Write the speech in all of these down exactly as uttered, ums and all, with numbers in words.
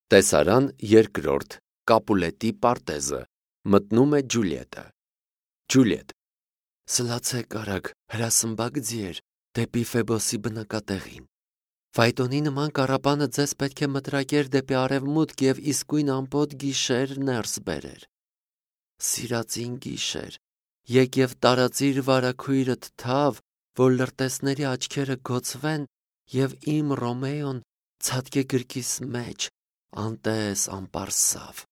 Տեսարան երկրորդ Կապուլետի պարտեզը մտնում է Ջուլիետը։ Ջուլիետ. Սլացեք արագ, հրասմբակ ձիեր, դեպի Ֆեբոսի բնակատեղին։ Ֆայտոնի նման կառապանը ձեզ պետք է մտրակեր դեպի արևմուտք և իսկույն ամպոտ գիշեր ներս բերեր։ Սիրածին գիշեր, եկև տարածիր վարագույրդ թավ, որ լրտեսների աչքերը գոցվեն և իմ Ռոմեոն ցատկե գրկիս մեջ, անտես անպարսավ։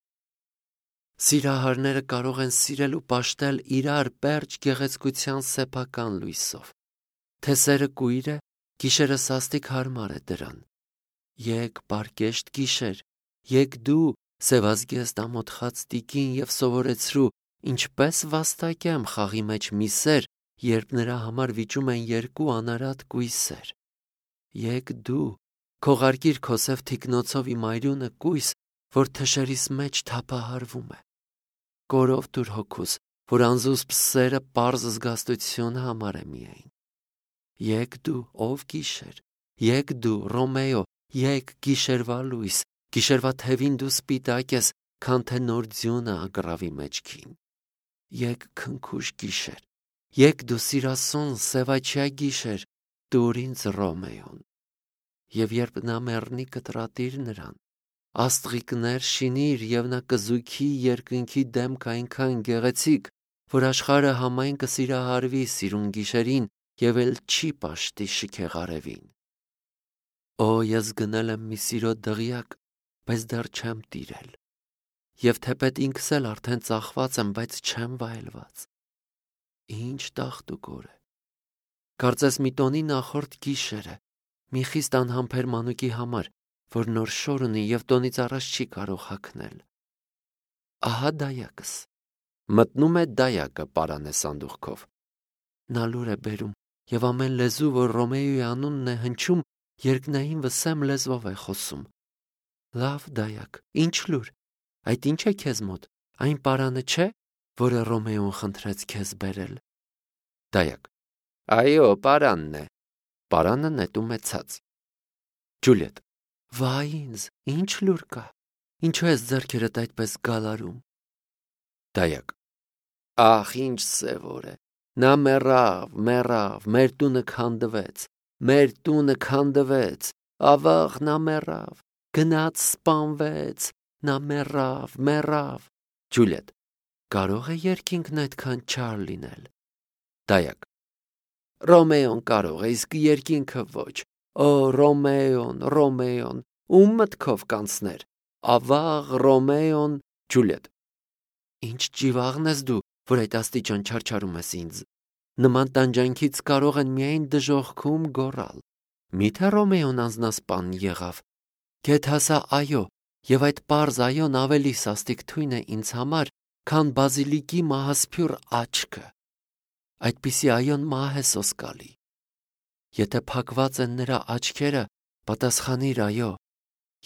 Սիրահարները կարող են սիրել ու պաշտել իրար պերճ գեղեցկության սեփական լույսով։ Թե սերը կույր է, գիշերը սաստիկ հարմար է դրան։ Եկ պարկեշտ գիշեր, եկ դու սևազգեստ ամոթխած տիկին և սովորեցրու, ինչպես վաստակեմ խաղի մեջ մի սեր, երբ նրա համար վիճում են երկու անարատ կույսեր։ Եկ դու քողարկիր քո սև թիկնոցով իմ այրունը կույս, որ թշերիս մեջ թափահարվում է։ Կորով տուր հոգուս, որ անզուսպ սերը պարզ զգաստություն համար է միայն։ Եկ դու, ով գիշեր, եկ դու, Ռոմեո, եկ գիշերվա լույս, գիշերվա թևին դու սպիտակ ես, քան թե նոր ձյունը ագռավի մեջքին։ Եկ քնքուշ գիշեր, եկ դու սիրասուն սևաչյա գիշեր, տուր ինձ Ռոմեոն։ Եվ երբ նա մեռնի կտրատիր նրան, աստղիկներ շինիր և նա կզույքի երկնքի դեմք այնքան գեղեցիկ, որ աշխարհը համայն կսիրահարվի սիրուն գիշերին և էլ չի պաշտի շքեղ արևին։ Օ, ես գնել եմ մի սիրո դղյակ, բայց դեռ չեմ տիրել, և թեպետ ինքս էլ արդեն ծախված եմ, բայց չեմ վայելված։ Ինչ տաղտուկոր է։ Կարծես մի տոնի նախորդ գիշեր է, մի խիստ անհամբեր մանուկի համար, որ նոր շոր ունի և տոնից առաջ չի կարող հագնել։ Ահա դայակս։ Մտնում է դայակը պարանը սանդուղքով։ Նա լուր է բերում, և ամեն լեզու, որ Ռոմեոյի անունն է հնչում, երկնային վսեմ լեզվով է խոսում։ Լավ դայակ, ինչ լուր, այդ ինչ է քեզ մոտ, այն պարանը չէ, որը Ռոմեոն խնդրեց քեզ բերել։ Դայակ. Այո, պարանն է։ Պարանը նետում է ցած։ Ջուլիետ. Վայ ինձ, ինչ լուր կա, ինչու ես ձեռքերդ այդպես գալարում։ Դայակ. Ախ, ինչ սևոր է, նա մեռավ, մեռավ, մեր տունը քանդվեց, մեր տունը քանդվեց, ավաղ նա մեռավ, գնաց սպանվեց, նա մեռավ, մեռավ։ Ջուլիետ. Կարող է երկինքն այդքան չար լինել։ Դայակ. Ռոմեոն կարող է, իսկ երկինքը ոչ։ Օ, Ռոմեոն, Ռոմեոն, ում մտքով կանցներ, ավաղ Ռոմեոն։ Ջուլիետ. Ինչ ճիվաղն ես դու, որ այդ աստիճան չարչարում ես ինձ։ Նման տանջանքից կարող են միայն դժոխքում գոռալ։ Միթե Ռոմեոն անձնասպան եղավ։ Գեթ ասա այո, և այդ պարզ այոն ավելի սաստիկ թույն է ինձ համար, քան բազիլիկի մահասփյուռ աչքը։ Այդպիսի այոն մահ է սոսկալի։ Եթե փակված են նրա աչքերը, պատասխանիր այո,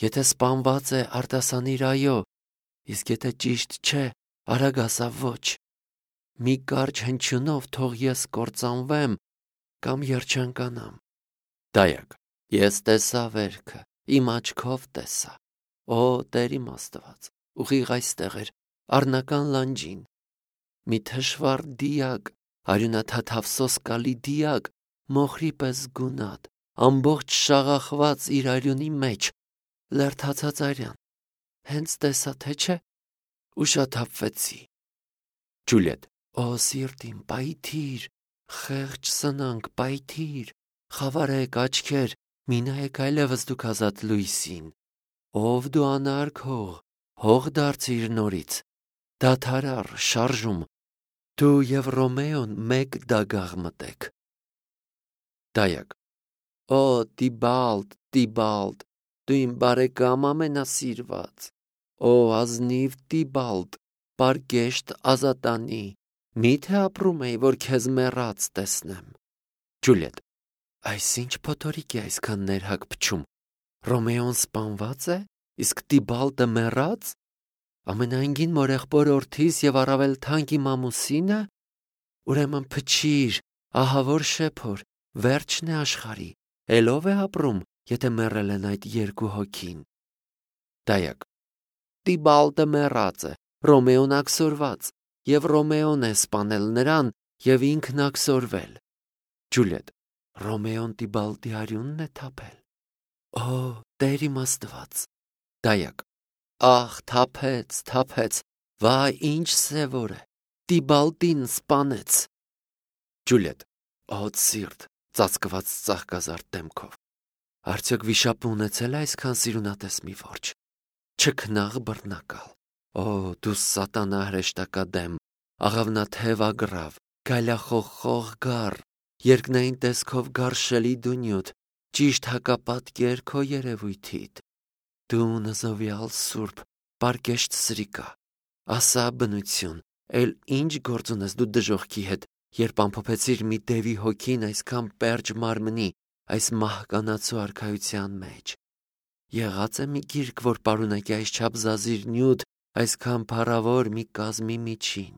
եթե սպանված է, արտասանիր այո, իսկ եթե ճիշտ չէ, արագ ասա ոչ։ Մի կարճ հնչյունով թող ես կործանվեմ կամ երջանկանամ։ Դայակ. Ես տեսա վերքը, իմ աչքով տեսա։ Օ, Տեր իմ Աստված, ուղիղ այստեղ էր, առնական լանջին։ Մի թշվառ դիակ, արյունաթաթավ սոսկալի դիակ, մոխրի պես գունատ, ամբողջ շաղախված իր արյունի մեջ, լերդացած արյան, հենց տեսա, թե չէ, ուշաթափվեցի։ Ջուլիետ. Օ, սիրտ իմ, պայթիր, խեղճ սնանկ, պայթիր, խավարեք աչքեր, մի նայեք այլևս դուք ազատ լույսին։ Ով դու անարգ հող, հող դարձիր նորից, դադարար, շարժում, դու և Ռոմեոն մեկ դագաղ մտեք։ Դայակ. Օ, Տիբալտ, Տիբալտ, դու իմ բարեկամ ամենասիրված։ Օ, ազնիվ Տիբալտ, պարկեշտ ազատանի, միթե ապրում էի, որ քեզ մեռած տեսնեմ։ Ջուլիետ. Այսինչ փոթորիկ է այսքան ներհակ փչում։ Ռոմեոն սպանված է, իսկ Տիբալտը մեռած։ Ամենայնգին մորեղբոր որդիս և առավել թանկ իմ ամուսինը։ Ուրեմն փչիր, ահավոր շեփոր, վերջն է աշխարհի, էլ ով է ապրում, եթե մեռել են այդ երկու հոգին։ Դայակ. Տիբալտը մեռած է, Ռոմեոն աքսորված, եւ Ռոմեոն է սպանել նրան եւ ինքն աքսորվել։ Ջուլիետ. Ռոմեոն Տիբալտի արյունն է թափել։ Օ, Տեր իմ Աստված։ Դայակ. Ահ, թափեց, թափեց, վայ, ինչ սևոր է, Տիբալտին սպանեց։ Ջուլիետ. Ոց սիրտ, ծածկված ծաղկազարդ դեմքով։ Արդյոք վիշապը ունեցել է այսքան սիրունատես մի որջը։ Չքնաղ բռնակալ։ Օ, դու սատանա հրեշտակադեմ, աղավնաթև ագրավ, գայլախոխող գառ, երկնային տեսքով գարշելի դու նյութ, ճիշտ հակապատկեր քո երևույթիդ։ Դու նզովյալ սուրբ, պարկեշտ սրիկա, ասա բնություն, էլ ինչ գործ ունես դու դժողքի հետ, երբ ամփոփեցիր մի դևի հոգին այսքան պերճ մարմնի, այս մահկանացու արքայության մեջ։ Եղած է մի գիրք, որ պարունակի այսչափ զազիր նյութ, այսքան փառավոր մի կազմի միջին։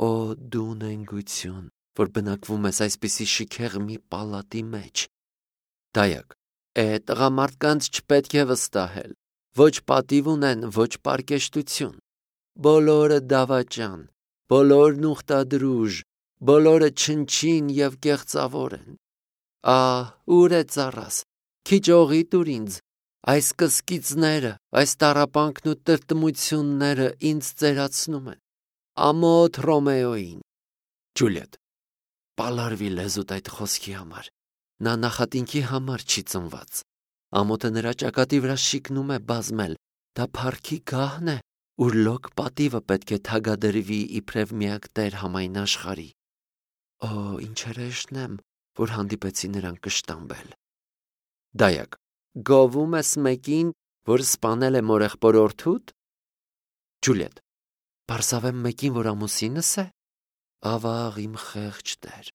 Օ, դու նենգություն, որ բնակվում ես այսպիսի շքեղ մի պալատի մեջ։ Դայակ. Է, տղամարդկանց չպետք է վստահել, ոչ պատիվ ունեն, ոչ պարկեշտություն։ Բոլորը դավաճան, բոլորն ուխտադրուժ, բոլորը չնչին եւ կեղծավոր են։ Ահ, ուր է ծառաս, քիչ օղի տուր ինձ, այս կսկիծները, այս տառապանքն ու տրտմությունները ինձ ծերացնում են։ Ամոթ Ռոմեոին։ Ջուլիետ. Պալարվի լեզուտ այդ խոսքի համար, նա նախատինքի համար չի ծնված։ Ամոթը նրա ճակատի վրա շիկնում է բազմել, դա փառքի գահն է, ուր լոկ պատիվը պետք է թագադրվի իբրև միակ Տեր համայն աշխարհի։ Օ, ինչ հրեշտն եմ, որ հանդիպեցի նրան կշտամբել։ Դայակ. Գովում ես մեկին, որ սպանել է մորեղբորորդուդ։ Ջուլիետ. Պարսավեմ մեկին, որ ամուսինս է։ Ավաղ իմ խեղճ Տեր,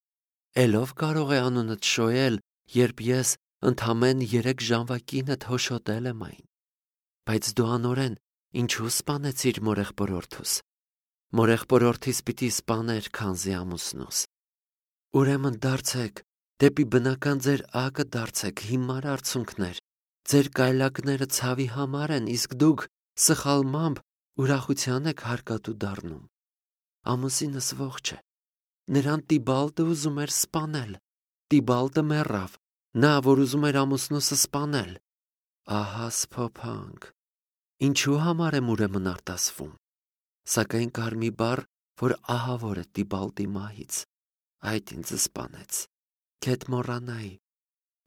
էլով կարող է անունդ շոյել, երբ ես ընդամեն երեք ժամվա կինդ հոշոտել եմ այն։ Բայց դու անորեն ինչու սպանեցիր մորեղբորորդուս։ Մորեղբորորդիս պիտի սպաներ քանզի ամուսնուս։ Ուրեմն դարձեք, դեպի բնական ձեր ակը դարձեք, հիմար արցունքներ, ձեր կայլակները ցավի համար են, իսկ դուք սխալմամբ ուրախության եք հարկատու դառնում։ Ամուսինս ողջ է, նրան Տիբալտը ուզում էր սպանել, Տիբալտը մեռավ, նա, որ ուզում էր ամուսնուսը սպանել։ Ահա սփոփանք, ինչու համար եմ ուրեմն արտասվում, սակայն կար մի բառ, որ ահավոր է Տիբալտի մահից, այդ ինձ սպանեց, քեթ մոռանայի,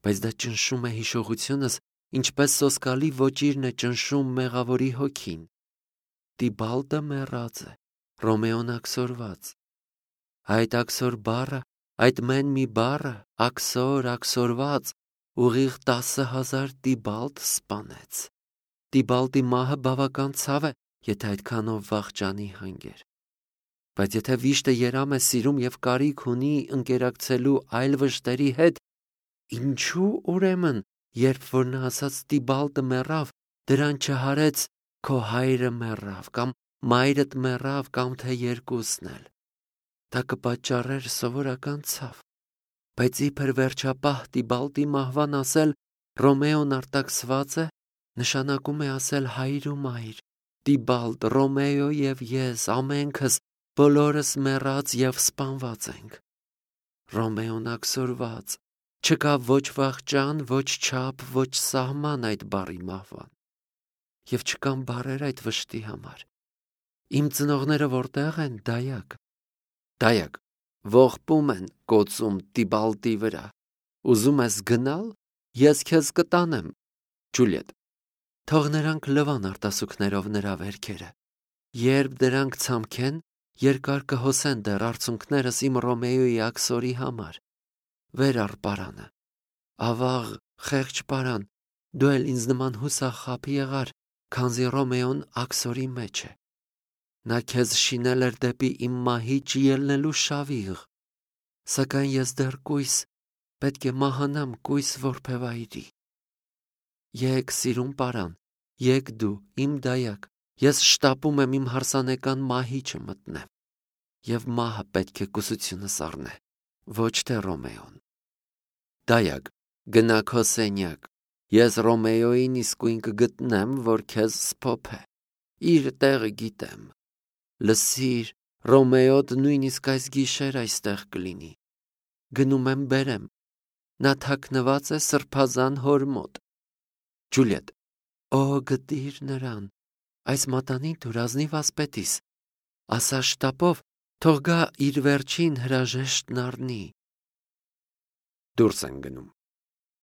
բայց դա ճնշում է հիշողությունս, ինչպես սոսկալի ոճիրն է ճնշում մեղավորի հոգին։ Տիբալտը մեռած է, Ռոմեոն աքսորված։ Այդ աքսոր բառը, այդ մեն մի բառը, աքսոր, աքսորված, ուղիղ տասը հազար Տիբալտ սպանեց։ Տիբալտի մահը բավական ցավ է, եթե այդքանով վախճանի հանգեր։ Բայց եթե վիշտը երամ է սիրում եւ կարիք ունի ընկերակցելու այլ վշտերի հետ, ինչու ուրեմն, երբ որ նա ասաց Տիբալտը մեռավ, դրան չհարեց քո հայրը մեռավ, կամ մայրդ մեռավ, կամ թե երկուսն էլ։ Դա կպատճառեր սովորական ցավ։ Բայց իբր վերջապահ Տիբալտի մահվան ասել Ռոմեոն արտաքսված է, նշանակում է ասել հայր ու մայր, Տիբալտ, Ռոմեո եւ ես, ամենքս, բոլորս մեռած եւ սպանված ենք։ Ռոմեոն աքսորված, չկա ոչ վախճան, ոչ չափ, ոչ սահման այդ բառի մահվան։ Եվ չկան բառեր այդ վշտի համար։ Իմ ծնողները որտեղ են, դայակ։ Դայակ, ողբում են կոծում Տիբալտի վրա։ Ուզում ես գնալ, ես քեզ կտանեմ։ Ջուլիետ. Թող նրանք լվան արտասուքներով նրա վերքերը։ Երբ դրանք ցամքեն, երկար կհոսեն դեռ արցունքներս իմ Ռոմեոյի աքսորի համար։ Վեր առ պարանը։ Ավաղ, խեղճ պարան, դու էլ ինձ նման հուսախաբ եղար, քանզի Ռոմեոն աքսորի մեջ է։ Նա քեզ շինել էր դեպի իմ մահի ջիելնելու շավիղ։ Սակայն ես դեռ կույս, պետք է մահանամ կույս որբևայրի։ Եկ սիրուն պարան, եկ դու, իմ դայակ, ես շտապում եմ իմ հարսանեկան մահիճը մտնեմ, և մահը պետք է կուսությունս առնե, ոչ թե Ռոմեոն։ Դայակ, գնա քո սենյակ, Ես Ռոմեոյին իսկույն կգտնեմ, որ քեզ սփոփե։ Իր տեղը գիտեմ։ Լսիր, Ռոմեոդ նույնիսկ այս գիշեր այստեղ կլինի։ Գնում եմ բերեմ։ Նա թաքնված է սրբազան հոր մոտ։ Ջուլիետ, օ, գտիր նրան։ Այս մատանին դուր ազնիվ ասպետիս։ Ասա շտապով, թող գա իր վերջին հրաժեշտն առնի։ Դուրս են գնում։